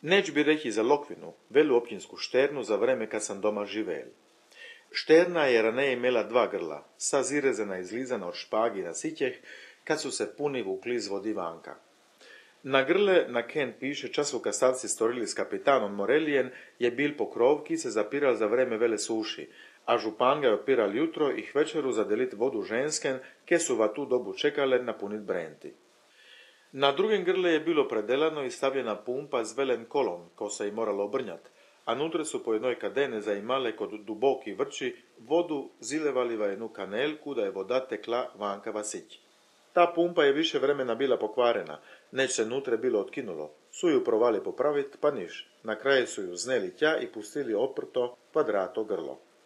Neć bi reći za Lokvinu, velu općinsku šternu za vreme kad sam doma živel. Šterna je raneje imela 2 grla, sa zirezana i izlizana od špagi na sićeh, kad su se puni vukli iz vodi vanka. Na grle, na ken piše, času kad stavci storili s kapitanom Morelijen, je bil pokrovki se zapiral za vreme vele suši, a župan ga je opiral jutro i večeru za delit vodu žensken, ke su va tu dobu čekale napunit brenti. Na drugem grle je bilo predelano i stavljena pumpa z velen kolom, ko se je moralo obrnjat, a nutre su po jednoj kadene zaimale kod duboki vrči vodu zilevali va jednu kanelku da je voda tekla vanka va sić. Ta pumpa je više vremena bila pokvarena, neć se nutre bilo otkinulo. Su ju provali popravit, pa niš. Na kraju su ju zneli tja i pustili oprto kvadrato grlo.